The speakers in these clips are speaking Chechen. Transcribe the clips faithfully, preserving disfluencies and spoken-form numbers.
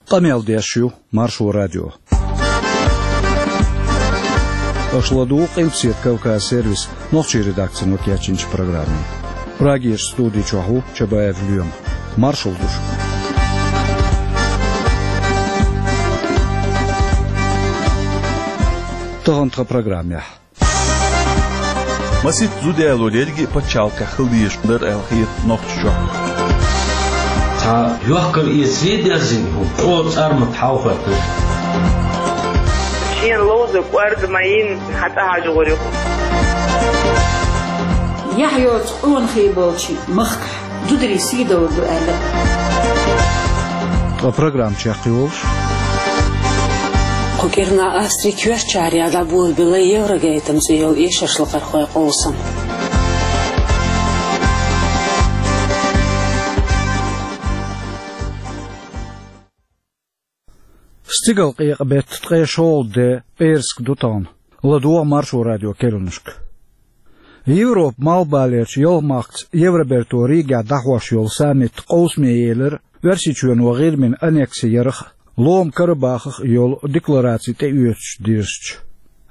Къамел деш ю Маршо радио. Аша ладугӀу Къилбаседа Кавказ сервисан нохчийн редакцино кечйинчу программе. Прагерчу студи чохь ву Чабаев Лоьма. Маршалла ду шуьга. Тахана тхан программехь. Масийтта зуда ялор ерриге а пачхьалкхехь хила дезаш дара аьлла хета Нохчийчохь. Цхьа йохкар эцаре дерзина хӀума, чӀогӀа цӀармат хьалахӀоьттира. Шена ловза кӀорга ма йина, хьан тӀехьажа гӀур ю. Яхь йоцу къонахий болчу махкахь зударий сийдалла ду аьлла. Ткъа программа чекхйолуш. Кху кӀирнахь Австрин коьртачарна дӀаболабелла Еврогейтам цӀе йолу эшаршлакхархойн къовсам. Стигалкъекъа беттан ткъе шолгӀа де, пӀераска ду тахана. ЛадогӀа Маршо радион керланашка. Европан малхбалерчу ялх махкаца Евроберто Ригехь дӀахьош йолу саммит къовсаме елира Оьрсийчоьно ГӀирмина аннекси ярах а, Лома Карабахах а йолу деклараци тӀеоьцуш дирзича.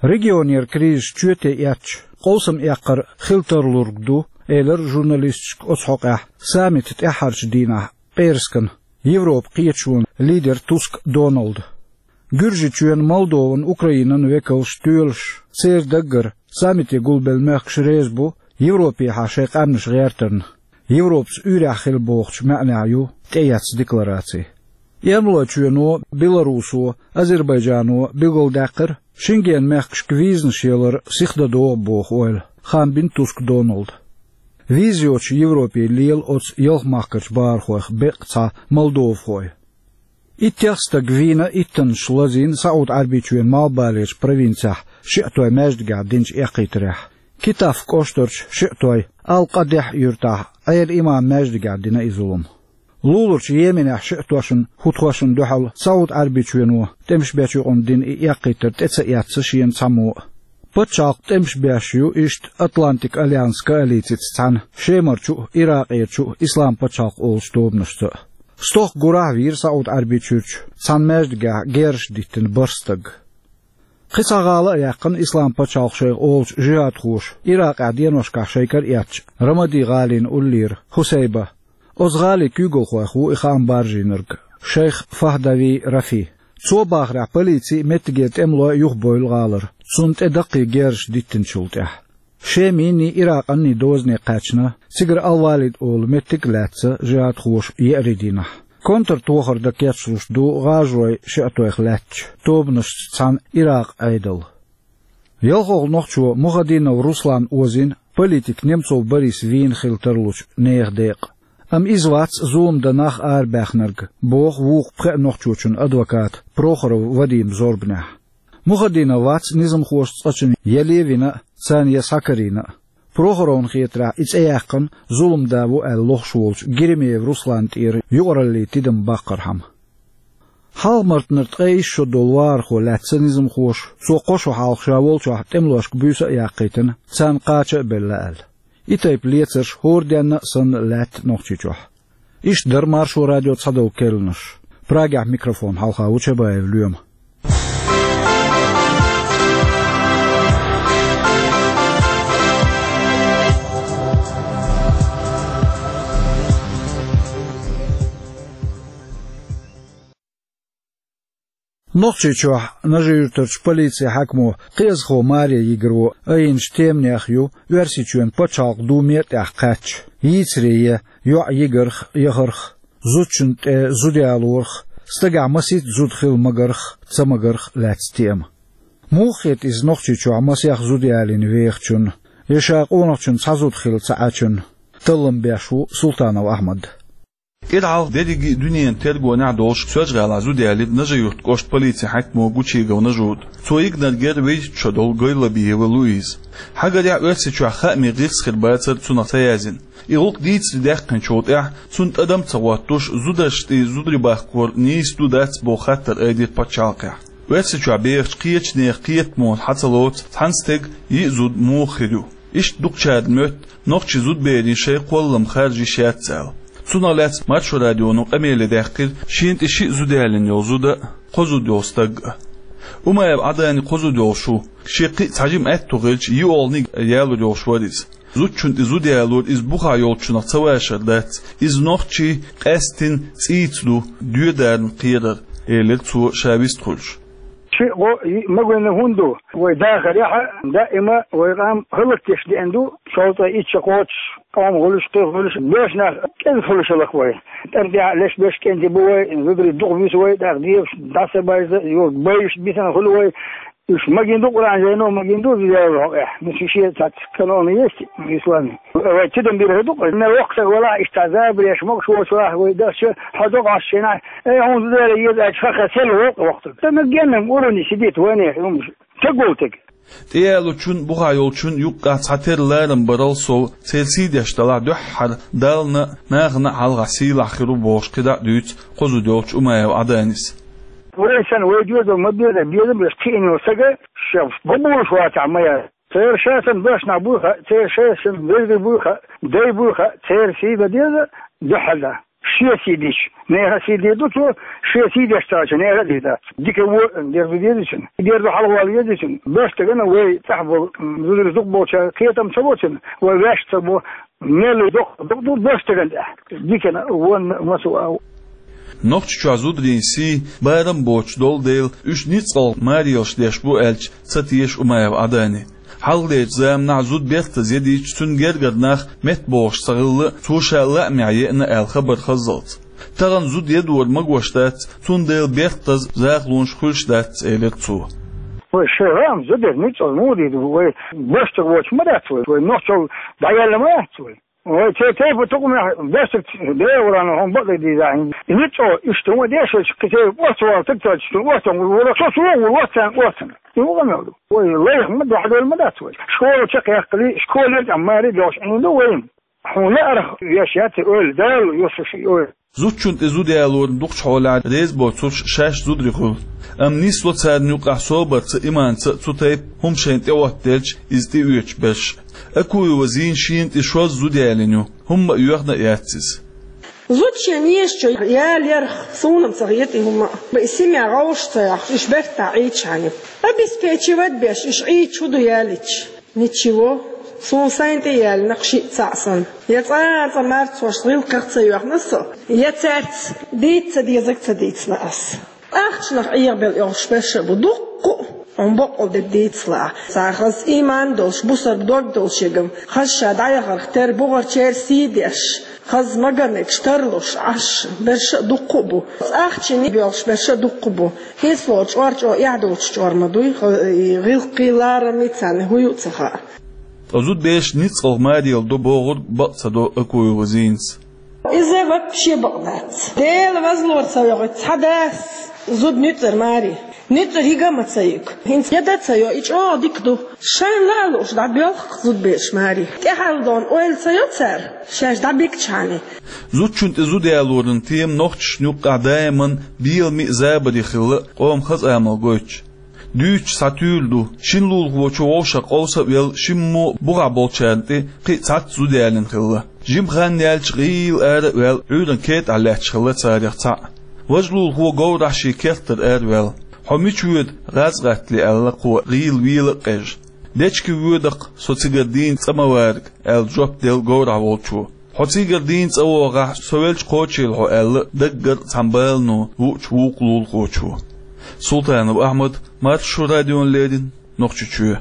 Регионера кризис чоьте эцча, къовсам эккхар хила тарлург ду, элира журналисташка оцу хьокъехь саммитан тӀаьххьарчу дийнахь пӀераскан Европан кхеташонан лидера Туск Доналда. Гуьржийчоьнан, Молдован, Украинан векалш а тоьлуш, церан даггара саммите гулбелла мехкаш реза бу Европехьа шайн къаьмнаш гӀертарна. Европаца уьйрехь хила бохучу маьӀнехь ю тӀеэцна деклараци. Эрмалойчоьно, Беларусо, Азербайджано билгалдаьккхира, Шенген мехкашка визанаш ялар сиха дан догӀу боху ойла, хаам бина Туск Доналда. Виза йоцуш Европе лела оцу ялх махкарчу бахархойх беккъа цхьа молдовхой. Иттех стаг вийна иттаннаш лазийна СаӀуд-Ӏаьрбийчоьнан малхбалерчу провинцехь шиъ той маьждигехь динчу эккхийтарехь. Китаф кӀоштарчу шиъ той Ал-Къадехь юьртахь Ӏела имам маьждигехь дина и зулам. Луларчу Йеменехь шиъ тошна хӀуттахошна дуьхьал СаӀуд-Ӏаьрбийчоьно тӀемаш бечу юкъана дина и эккхийтар тӀе ца эцна шена цхьаммо а. Пачхьалкх тӀемаш беш ю иштта Атлантик Альянс коалицица цхьаьна Шемарчу а, Иракъерчу а Ислам пачхьалкх олучу тобанашца а. Стохка гурахь а вийра СаӀуд-Ӏаьрбийчуьрчу цхьана маьждигехь герзаш диттина бархӀ стаг. Кхин цхьа гӀала а яьккхина Ислам пачхьалкх шайх олучу жихӀадхоша Иракъехь деношкахь шайн кара эцча, Рамади-гӀалина уллера Хусайба. Оцу гӀалин куьйгалхойх ву и хаам баржийнарг, шайх Фахдави Рафи. Цо бахарехь, полици а, меттигера тӀемалой а юхабевлла гӀалара, цунна тӀе даккхий герзаш диттинчул тӀаьхьа. Шеманний, Иракъанний дозане кхаьчна, цигара Ал-Валид олу меттиг а лаьцна жихӀадхоша еарин дийнахь. Контртохар дан кечлуш ду гӀажарой шиъ тойх лаьттачу тобанашца цхьаьна Иракъан Ӏедал. ЯлхолгӀа нохчо Мухадинов Руслан озийна политик Немцов Борис вийна хила тарлучу нехан декъа. Амма иза вац зулам дан нах арабаьхнарг, боху вукху пхеа нохчочун адвоката Прохоров Вадима зорбанехь. Мухадинов вац низамхоша цкъачунна я левина а, царна я схьакарийна а. Прохоровна хетарехь, и цӀе яьккхина зулам да ву аьлла лохуш волчу Геремеев Русланна тӀера юкъараллин тидам баккхархьама. Хьалха-мартанара ткъе исс шо долу вахархо лаьцна низамхоша, цо кхо шо хьалха ша волчохь тӀемалошка буьйса а яккхийтина, царна кхача а белла аьлла. И тайпа лецарш хӀора денна а санна лаьтта Нохчийчохь. Иштта дара Маршо радион цхьадолу керланаш. Прагехь микрофон хьалха ву Чабаев Лоьма. Нохчийчохь Нажи-Юьртарчу полицин хьаькамо Кхиазхо Маре Йигро айинчу теманех ю Оьрсийчоьнан Пачхьалкхан Думе тӀехь кхаьчча, йийцаре йоӀ йигарх а, яхарх а, зудчунна тӀе зуда ялорх а, стагехь масийтта зуда хила магарх а, ца магарх а лаьцна тема. Муха хета иза Нохчийчохь масех зуда ялийна вехачунна, я ша къонахчун цхьа зуда хилла ца Ӏачунна? Таллам беш ву Султанов Ахьмад. КӀира хьалха дерриге а дуьненан тергонехь долуш Соьлжа-ГӀалахь зуда ялира Нажи-Юьртан кӀоштан полицин хьаькамо Гучигов Нажуда. Цо йигнарг яра везачу шо долу Гойлабиева Луиза. Хьагарехь, Оьрсийчохь хаамийн гӀирс хир бацара цунах ца яздина. И гӀуллакх дийцаре даьккхинчул тӀаьхьа, цунна тӀадам а ца хӀоттуш, зударшна тӀе зударий баккхар нийса ду, дац боху хаттар айдира пачхьалкхехь. Оьрсийчохь бехачу кхечу нехан кхетамо хьан ца лоцу цхьана стеган йиъ зуда муха хир ю? Иштта дукхачарна моьтту нохчийн зудаберийн шайн кхоллам харжа йиш яц аьлла. Цунах лаьцна Маршо радионо къамеле даьккхира шена тӀе шиъ зуда ялийна йолу зуда а, кхо зуда йолу стаг а. Умаев Ӏадани кхо зуда йолуш ву, шен кхин а цхьа жима аьтто хилча, йиъолгӀаниг ялор йолуш вара иза. Зудчунна тӀе зуда ялор иза бухахь йолчунах ца вашар дац, иза нохчийн къаьсттина цӀийца ду, доьдарна кхерар, элира цо ша вистхуьлуш. Шиъ, гӀо, йиъ, магийна хӀунда ду? Вай дахарехь а даима вай къам хӀаллакдеш деана ду, шовзткъе итт шо кхочуш, къоман хуьлуш, кхин хуьлуш, боьрша нах кӀезиг хуьлуш хӀаллакбу вай. ТӀам тӀехь леш берш кӀентий бу вай, зударий дукха буьсу вай, тӀаккха дебаш дӀа ца байза, юха байъуш бисина хуьлу вай. Уьш магийна ду, Къуръан жайно магийна ду, зуда ялорна хьокъехь. Ну, шу шен цхьацца канон есть исламе. Вай тидам бира хӀун ду-кх, мел воккха стаг велахь, иштта забареш могуш воцурахь вай дахча, хьо догӀу Ӏаш шена, эй, хьуна зуда яла еза аьлча, ха-ха, сел воккха воккхуьйту. Ца меггеннам уровне сидит вайнех, хӀумаш. Тегволтиг. ТӀеялочун, бухахь йолчун юккъехь цхьатерра ларам барал сов, церан сий деш далахь дуьххьара Дална а, нахана а хьалха сийлахь хир ву бохуш кхидӀа а дуьйцу кхо зуда йолчу Умаев Ӏаданис. Вай санна, вай доьзал ма беза, безам беш кхиъна йолу стага, ша баболуш вацахь ма яра. Церан ша санна башнахь буй хаьа, церан ша санна вежарий буй хаьа, дай буй хаьа, церан сий дан деза, дуьххьал дан. Шен сий дича, нехан сий дийр ду цо, шен сий деш ца Ӏаш, нехан а дийр дац. Дика вон дерзо деза цуьнан, дерзо хьалхавала веза цуьнан. Беш стагана вай тӀехь болу, м, зударий дукха болчара кхетам ца бо цуьнан, вай ваьш ца бо, мел доккха дукха ду беш стагана тӀехь. Дикана а, вонна а, массо а. Нохчийчохь зударийн сий, барам боцуш долу дела, уьш ницкъалгӀа марелаш деш бу аьлча, ца теша Умаев Ӏадани. Хьалхалерчу заманахь зуда бертаза едийча, цуьнан гергара нах меттабогӀуш ца хилла, цо ша лаамехь еана аьлла хабар хаззалц. Тахана зуда едора магош дац, цундела бертаза захалонаш хуьлуш дац, элира цо. Вай шайн гӀама зуда ницкъалгӀа муха дийр ду, вай беш стаг воцуш ма дац вай, вай нохчалла дӀаяьлла ма яц вай. Вай церан тайпа тукхамехь беш стаг дера вара, хьуна бакъ дийзахь. НицкъалгӀа иштта хӀума деш, вай кхин церан оццу вала стаг ца Ӏаш, оццу вала, со суна вала, оццарна оццарна. И вукху мел ду. Вай лайх ма дуьхьал ма дац вай. Школа чекхъяьккхале, школера тӀехь маре доьлхуш Ӏийна ду вайна. Хьуна лаарх веш яц и ойла, Дала йосуш и ойла. Зудчунна тӀе зуда ялорна дукхачу хьолехь реза боцурш шаьш зударий хуьлу. Амма нисло царна юкъахь собарца, иманца а цу тайпа хӀума шайна тӀеоттаделча, иза тӀеоьцуш берш. Акуева Зина шена тӀе шозза зуда ялийна ю, хӀумма а йоьхна а яц иза. Зуда шен езачу ялорах суна-м ца хета и хӀума а. И семья гӀовш ца йоккхуш, уьш бертахь Ӏийча хьаний. Обеспечивать беш, уьш Ӏийча хӀун ду ялийча? Ничего. Суна сайна тӀе ялийнарг шиъ, цхьаъ санна. Я цкъа а цкъа марцонаш гӀиллакхах ца йоьхна со, я цаьрца дийца ца дезарг ца дийцина ас. Ахчанах Ӏехабелла йолуш берш а бу дуккха а, хьуна бакъ долу дерг дийцалахь. Цхьа хаза иман долуш, бусалба дог долуш ерг-м, хаза ша дӀаяхарх тера, бухарчеран сий деш, хаза маганегаш тарлуш Ӏаш берш а дуккха а бу. Ахчанах боьлхуш берш а дуккха а бу. ХӀинцалора чкъор чӀогӀа эхь доцуш чкъор ма дуй, гӀиллакхий, ларам а царна хӀун ю а ца хаьа. Ткъа зудабераш ницкъалгӀа марелла до бохург бакъ ца до Акуева Зинас. Иза вообще бакъ дац. Делан возаллора ца вогӀуьйту цхьа дас зуда нуьцкъара маре. Нуьцкъара хӀинца а ма ца юьгу. ХӀинца я дан ца йо, и чӀогӀа дика ду. Шайна ла а лууш дӀабоьлху-кх зудабераш маре. ТӀаьхьалдон ойла ца йо цара, шаьш дӀабигча хьаний. Зудчунна тӀе зуда ялоран тема нохчашна юккъехь даиман беламе а, забаре а хилла, къоман хаза амал гойтуш. Дуьйцуш цхьа туьйра ду: шина лулахочо вовшах къовса а велла, шиммо бухахь болчарна тӀе кхин а цхьацца зуда ялийна хилла. Жима хан яьлча, гӀийла ара а ваьлла, Ӏуьйранна кетӀахь лаьтташ хилла царех цхьаъ. Важа лулахо говрахь шен керттара араваьлла. «Хьо мича воьду, гӀаз гӀаттале?» — аьлла кхо, гӀийла вела а къежа. «Дечке воьду-кх со, цигара дийна цӀа ма варг», — аьлла жоп делла говрахь волчо. «Хьо цигара дийна цӀа вогӀахь, со велча кхочийла хьо», — аьлла даггара цхьана балано вуучу вукху лулахочо. Султанов Ахьмад, Маршо радиона леррина, Нохчийчоь.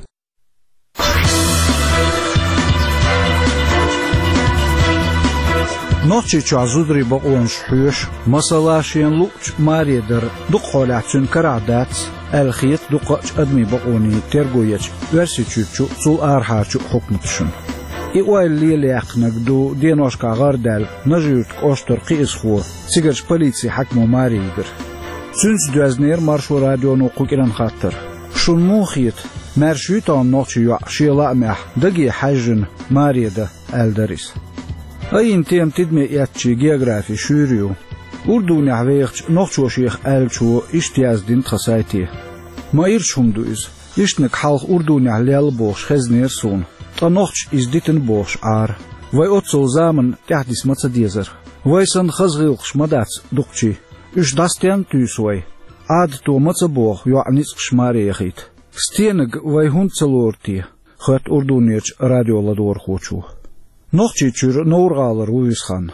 Нохчийчохь зударийн бакъонаш хьоьшу, масала, шена луъучу маре дар, дукха хьолехь цуьнан карахь дац аьлла хета дукхачу адамийн бакъонийн терго ечу Оьрсийчуьрчу а, цул арахьарчу а хьукматашна. И ойла лелаяьккхинарг ду деношкахь гӀардаьлла Нажи-Юьртан кӀоштара кхиазхо, цигарчу полицин хьаькамо маре йигар. Цуьнца доьзнера Маршо радионо кху кӀиран хаттар. Шуна муха хета, маьрша юй тахана нохчийн йоӀ шен лаамехь даге хьаьжжина маре дан, аьлла дара иза. Айина тема тидаме эцначийн географи шуьйра ю. Урдунехь вехачу «Нохчо шех» аьллачо иштта яздина тхан сайте: «Ма ирча хӀума ду иза. Ишттаниг хьалха Урдунехь лелла бохуш хезнера суна, ткъа нохчаша иза дитина бохуш Ӏара. Вай оццул заманна тӀаьхьадиса ма ца дезара». Вай санна хаза гӀиллакхаш ма дац дукхачийн. Уьш дӀасатенна туьйсу вай? Ӏадато ма ца боху йоӀ ницкъаш маре яхийта. Стенга вай хӀунда ца лору те? Хоьтту Урдунерчу радио ладогӀархочо. Нохчийчуьра Новр-гӀалара ву Висхан.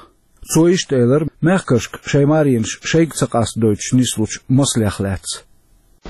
Цо иштта элира мехкашка шайн маренаш шайга ца къастадойтуш нислучу маслех лаьцна.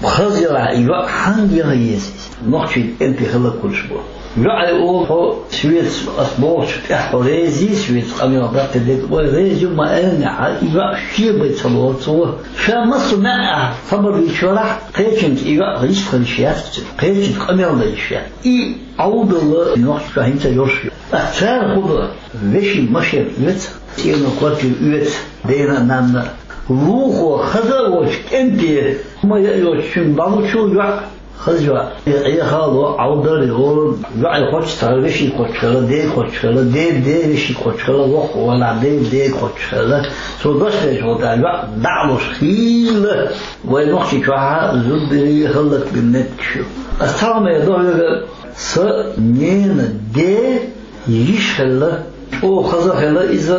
Хаза яра и йоӀ хьанга яха еза иза? Нохчийн кӀентий хила кхуьлуш бу. ЙоӀе олу хьо соьца, ас бохучу тӀехь хьо резий, соьца къамел даккхий дерг, вай реза ю ма аьллехь, и йоӀ шен бен ца лору цо. Ша массо а маьӀӀехь хабар дийцарахь, кхечуьнца и йоӀ гӀиштхуьлуш яц, кхечуьнца къамел дан йиш яц. И Ӏовдал нохчашна хӀинца йолуш ю. Ткъа цара хӀун до? Вешин машен оьцу, цӀено квартира оьцу, дена а, нанна а. Вукхо хаза а волчу кӀенте хӀума яа йоцучуьнга дӀалучу йоӀ, хаза йоӀ. Ӏехало, Ӏовдал йолу, йоӀе кхоччуш цхьа вешин кхоччуш хила, дега кхоччуш хила, дега де вешин кхоччуш хила, воккха валахь, дега дега кхоччуш хила. Цо дош дечу гӀо тӀехь йоӀ дӀа а луш хийла, вай нохчийчохь зударий хӀаллакбина меттигаш ю. Ас цхьа хӀума эр ду хьоьга, сан ненан ден йиша хилла, чӀогӀа хаза хилла иза,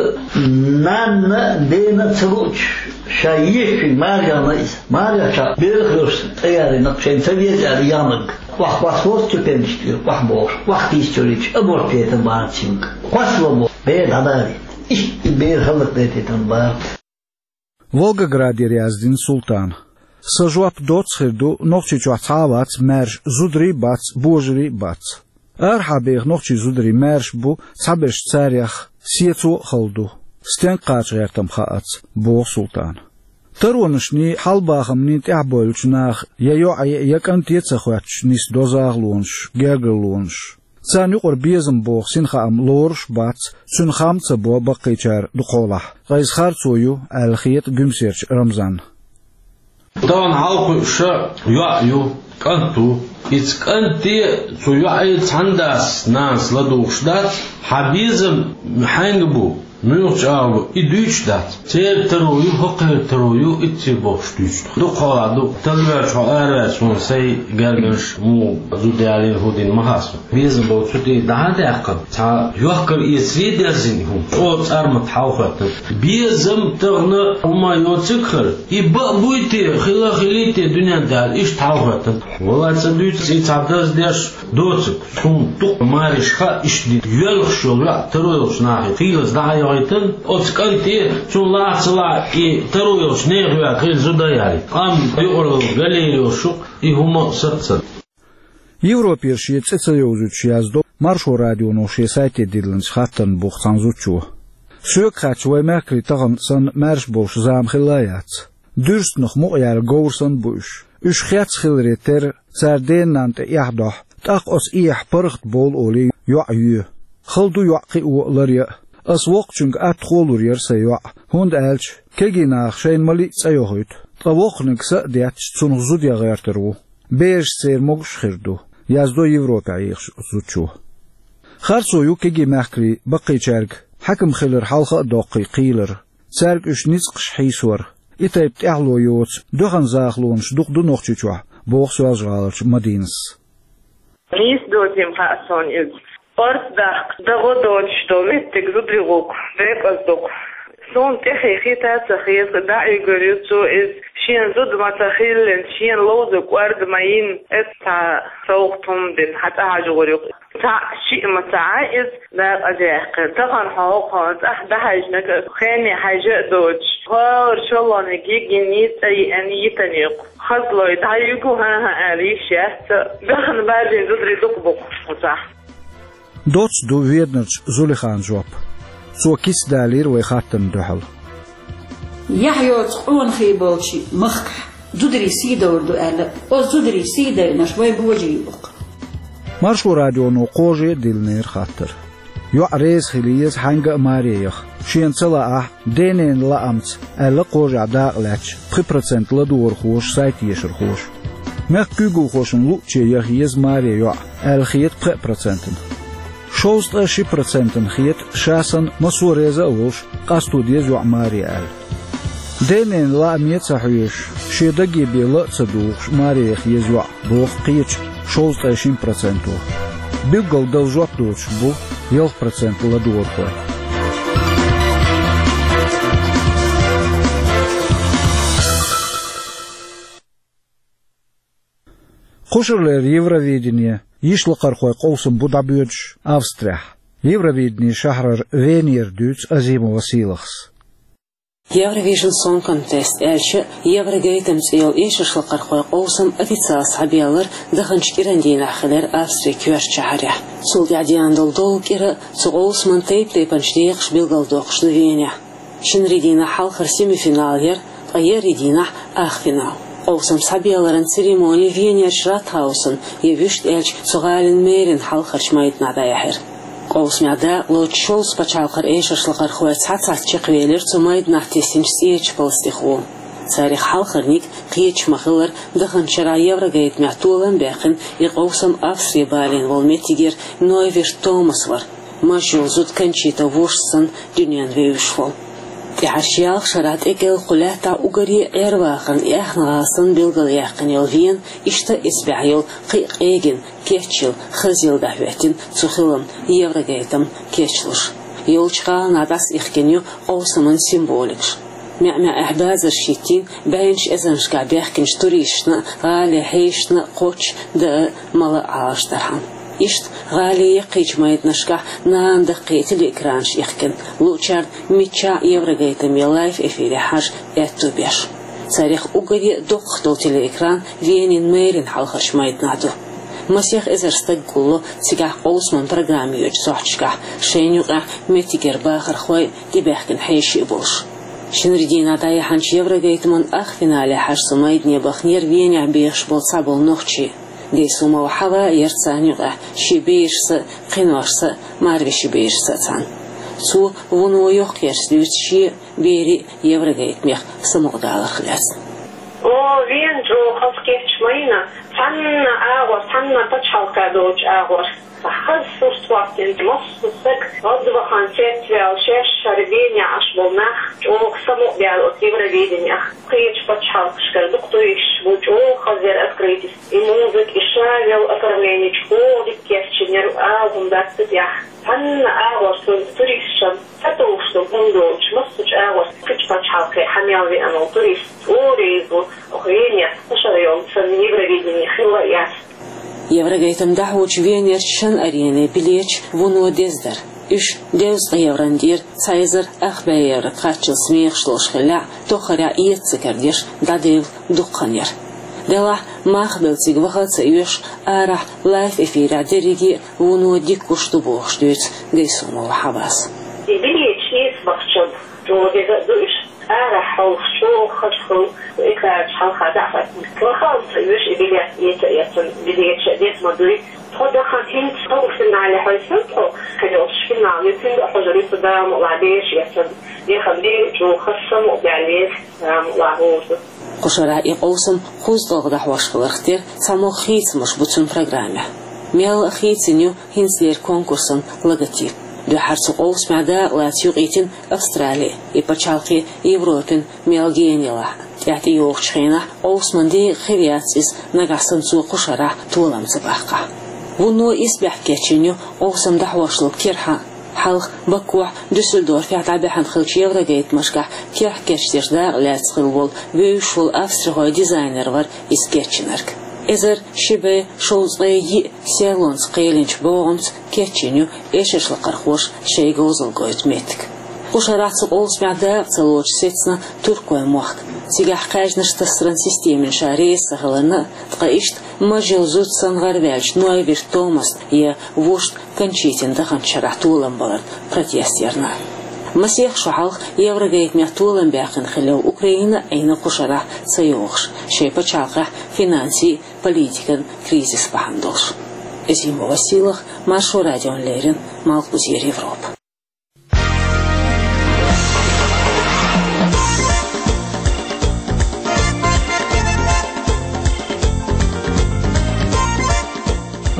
нанна а, дена а ца луучу, ша ешачуьнга маржанна иза. Маржанчохь берах луш тӀеярина, шайна ца веза аьлла яханарг. Охьакхоссавора цу пенаш тӀера, охьабохуш, охьатийсачуьра аборт дайтина бахара цуьнга. Кхоссало боху, бер дӀадарийта. Иштта и бер хӀаллакдайтина бахара. Волгоградера яздина Султана. Сан жоп доцца хир ду, Нохчийчохь цхьа а вац маьрша, зударий а бац, божарий а бац. Арахьа беха нохчийн зударий маьрша бу, цхьаберш царех сецо а хала ду. Стенга кхача гӀертам хаац, боху Султана. Таронашний, хьал-бахамний тӀаьхьабевллачу наха я йоӀе, я кӀанте а ца хоьттуш нисдо захалонаш, гергарлонаш. Царна юкъара безам боху синхаам лоруш а бац, цуьнан хам а ца бо баккхийчара дукхахьолахь. Ткъа иза харцо ю, аьлла хета Гуьмсерчу Рамзанна. Тахана хьалакхуьуш йоӀ ю, кӀант ву. Иза кӀанте а, цу йоӀе а цхьана дас, нанас ладугӀуш дац, хьан безам хьаьнга бу, муьлхачу агӀор бу, и дуьйцуш дац. Церан таро ю, хӀокхеран таро ю, итт сий бохуш дуьйцуш ду. Дукхахьолахь ду, талла ваьлча хьо араваьлча, хьуна сайн гергарнаш муха зуда ялийна, хӀун дина ма хаьа суна. Безам болу цу тӀе дӀа а даьккхина, цхьа йохкар-эцаре а дерзийна хӀума, чӀогӀа цӀармат хьалахӀоьттина. Безам тахана хӀума йоцург хир, и баа буй те, хила а хилий те дуьненна Дала, иштта хьалахӀоьттина. Валлай, ца дуьйцу, и цхьа даздеш доцург, суна дукха мареш хаьа иштта дина. Йоьлхуш йолу йоӀ таро йолчу нахе хийлаза дӀа а йохуьйтуна, оцу кӀанте, цунна лаахь а ца лаахь а, и таро йолчу нехан йоьхна хила зуда а ялийта. Къам юкъаралла галера йолуш ю-кх, и хӀума а саццана. Европера шен цӀе ца йовзуьйтуш яздо Маршо радионо шен сайте диллинчу хаттарна буху цхьана зудчо. Соьга хаьттича, вайн мехкарий тахана санна маьрша болуш зама хилла а яц. Дуьрстанах мукъаяьлла говр санна бу уьш. Уьш хецна хиларе терра, цара ден-нанна тӀе эхь дохьу, тӀаккха оцу эхьан паргӀат бовла олий йоӀ йоь. Хала ду йоӀ кхио а, ларъян а. Ас воккхачуьнга атта хӀоттор яра сайн йоӀ, хӀунда аьлча кегий наха шайна ма-лиъ цӀе йохуьйту, ткъа воккханиг са а детташ, цунах зуда ян гӀертар ву. Бераш церан могуш а хир ду, яздо Европехь Ӏехачу зудчо. Харцо ю кегий мехкарийн баккхийчаьрга хьаькам хилар хьалха а доккхий кхийлар, цаьрга уьш ницкъаш хьийсор. И тайпа тӀаьхьало йоцу доьхна захалонаш дукха ду Нохчийчохь, боху Соьлжа-ГӀаларчу Мадинас. Нийса доцийла хаьа суна иза. Орца даккха, дан гӀо доцуш долу меттиг зударий гӀуллакх декъаза ду-кх. Суна тӀехье хета а ца хета, дӀаоьгур ю цо иза, шена зуда ма ца хиллина, шена ловзарг кӀорда ма йина, иза цхьа совгӀат хӀума дина, хьан цӀа хьажор ю-кх. Цхьаъ, шиъ ма ца Ӏа иза декъаза яьккхина. Тахана хьо хӀокхунна цӀахь дӀахьаьжнарг, хене хьаьжа а доцуш, хӀора шолгӀаниг йигина, цӀа йиъна, йитина ю-кх. Хазлой дӀаюьгу, хӀан-хӀа аьлла йиш яц, дахана баьржина зударий дукха бу-кх оцахь. Доцца ду Веданарчу Зулихана жоп. Цо кица далийра вай хаттарна дуьхьал. Яхь йоцу къонахий болчу махкахь зударий сий довр ду аьлла, оцу зударий сий дайнарш вай божий ю-кх. Маршо радионо кхаже а диллинера хаттар. ЙоӀ реза хила еза хьаьнга а маре яха, шена ца лаахь а, ден-ненан лаамца, аьлла кхажехь дакъа лаьтташ пхи процент ладугӀархоша, сайт ешархоша. Мехкан куьйгалхошна луъуче яха еза маре йоӀ, аьлла хета пхеа процентана. Шовзткъе ши процентана хета, ша санна массо а реза а волуш, къасто деза йоӀ маре аьлла. Ден-ненан лааме а ца хьоьжуш, шен даге бен ла а ца дугӀуш, маре яха еза йоӀ, боху кхечу шовзткъе шина проценто. Билггал дала жоп доцуш бу ялх процент ладугӀархой. Кхушарлера Евровидени йишлакхархой къовсам бу дӀабоьдуш Австрехь. Евровидени шахьарара Венера дуьйцу Азимова Сийлахьас. Eurovision Song Contest аьлча, Еврогайтам цӀе йолу эшаршлакхархой къовсам официалан схьабаьллар даханчу кӀиран дийнахь хилира Австрин коьртачу шахьарехь. Цул тӀаьхьа деана долу долу кӀира цу къовсаман тайп-тайпанчу декъашка билгалдоккхуш ду Венехь. Шинарин дийнахь хьалхара семифинал яра, ткъа еарин дийнахь ах финал. Къовсам схьабаьлларан церемони Венерчу Ратхаусан, я вуьшта аьлча, цу гӀалин мэрин хьалхарчу майданахь дӀаяьхьира. Къовсамехь дакъалоцуш шовзткъа пачхьалкхара эшаршлакхархой цхьа-цхьацца чекхвелира цу майданахь тесначу цӀерачу палас тӀехула. Царах хьалхарниг кхеташ ма-хиллара, даханчу шарахь Еврогайтамехь толам баьккхина и къовсам Австри балийна волу меттигера Нойверт Томас вара, маж йолу зуда Кончита вовшашца санна дуьненна вевзаш волу. ТӀаьхьарчу ялх шарахь тӀекӀел кху лаьттахь уггаре а Ӏер-вахарна и аьхна гӀала санна билгалъяьккхина йолу Вена иштта эцбаьхьа йолу кхин а къегина, кечйина, хазъелла дӀахӀоьттина цу хиламна Еврогайтам кечлуш. Йолчу гӀаланахь дӀасаихкина ю къовсаман символикаш. МаьӀ-маьӀехь базарш хӀиттийна, бӀеннаш эзарнашкахь баьхкинчу туристашна а, гӀалин хьешашна а кхоччуш даа а, мала а Ӏалашдархьама. Иштта гӀалин яккхийчу майданашкахь нана даккхий телеэкранаш ихкина, луучарна миччахь а Еврогайтаме лайв-эфире хьажа аьтто беш. Царах уггаре а доккхах долу телеэкран Венин мэрин хьалхарчу майданахь ду. Масех эзар стаг гулло цигахь къовсаман программа йоьдучу сохьташкахь, шайна юкъахь меттигера бахархой а, тӀебаьхкина хьеший а болуш. Шинарин дийнахь дӀаяьхьначу Еврогайтаман ах финале хьажа цу майдане баханера Венехь бехаш болу цхьаболу нохчий. Гайсумова Хьава а яра царна юкъахь, шен берашца а, кхиношца а, марвешин берашца а цхьаьна. Цо вуно йоккхаерш дуьйцу шен а, берийн а Еврогайтамех самукъадаларх лаьцна. О, Вена чӀогӀа хаза кечйина, цхьанна агӀор, цхьанна пачхьалкх долчу агӀор. Хаза сурт хӀоттийна, массо а стаг гӀадвахана, цецваьлла, шаьш хӀара Венехь Ӏаш болу нах чӀогӀа самукъадаьлла оцу Евровиденех. Кхечу пачхьалкхашкара дукха туристаш бу, чӀогӀа хаза яра открытие. И музыка, и шавел оформление чӀогӀа дика кечйинера, ала хӀума дац цу тӀехь. Цхьанна агӀор цу туристашна сатовш долу хӀума доцуш, массо а агӀор кхечу пачхьалкхе хьа мел веана волу турист чӀогӀа реза ву, оха Венех кху шарахь йолу санна Евровидени хилла а яц. Еврогайтам дӀахьочу Венерчу шина арене билеташ вуно деза дара. Уьш дезткъа еврона дийра, цхьа эзар ах бӀе евро кхаччалц мехаш долуш хиллехь а, тоххарехь эца ца кара деш дӀадевлла дукха хан яра. Делахь, мах а белла цига ваха а ца оьшу, арахь лайв-эфирехь дерриге а вуно дика гуш ду бохуш дуьйцу Гайсумова Хьавас. И билеташ эца бахчалц чӀогӀа деза а ду уьш. Арахь хьовсуш чӀогӀа хаза хилла, экранаш хьалха дӀа а хӀоьттина. Ваха а ца оьшу и билет эца а эцна, билеташ а деза ма дуй. Тхо дахана хӀинца полуфинале хьаьвсина тхо, кхин йолчу финале цуьнга а хьожур ю, цу Дала мукъалахь бераш эцна. Яхана дийна чӀогӀа хаза самукъадаьлла еза, Дала мукъалахь вовза. Кху шарахь и къовсам кхузткъалгӀа дӀахьош хиларх тера цхьамогӀа хийцамаш бу цуьнан программехь. Мелла а хийцина ю хӀинцалера конкурсан логотип. Дуьххьара цу къовсамехь дакъалаца юкъийтина Австрали, и пачхьалкхе Европин мел гена елахь а. ТӀаьхьа тӀейогӀучу хенахь къовсаман декъа хир яц иза, нагахь санна цо кху шарахь толам ца баккхахь. Вуно исбаьхьа кечйина ю къовсам дӀахьошлург керхьа. Хьалха Бакухь, Дюссельдорфехь дӀабаьхьна хиллачу еврогайтамашкахь керхь кечдеш дакъалаьцна хилла волу вевзаш волу австрихой дизайнер вара иза кечйинарг. Эзар ши бӀе шовзткъе йиъ серлонца кхелинчу богӀамца кечйина ю эшаршлакхархоша шайн говзалла гойту меттиг. Кху шарахь цу къовсамехь дакъа ца лоцуш сецна туркойн мохк. Цигахь кхаьжнаш тассаран системина ша реза ца хиларна а, ткъа иштта маж йолу зуда санна гӀарваьллачу Нойверт Томасна я вушта Кончитина даханчу шарахь толам баларна протест ярна. Масех шо хьалха Еврогайтамехь толам баьккхина хилла Украина а Ӏийна кху шарахь ца йогӀуш, шайн пачхьалкхехь финансийн, политикан кризис бахьана долуш. Азимова Сийлахь, Маршо радиона леррина, Малхбузера Европа.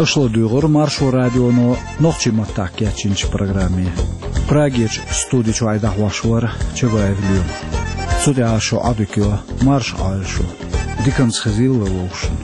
Аша ладуьйгӀира Маршо радионо нохчийн маттахь кечйинчу программе. Прагерчу студи чуьра дӀахьош вара Чабаев Лоьма. Цу тӀехь шун Ӏодика йо, марша Ӏойла шу. Диканца хезийла вовшашна.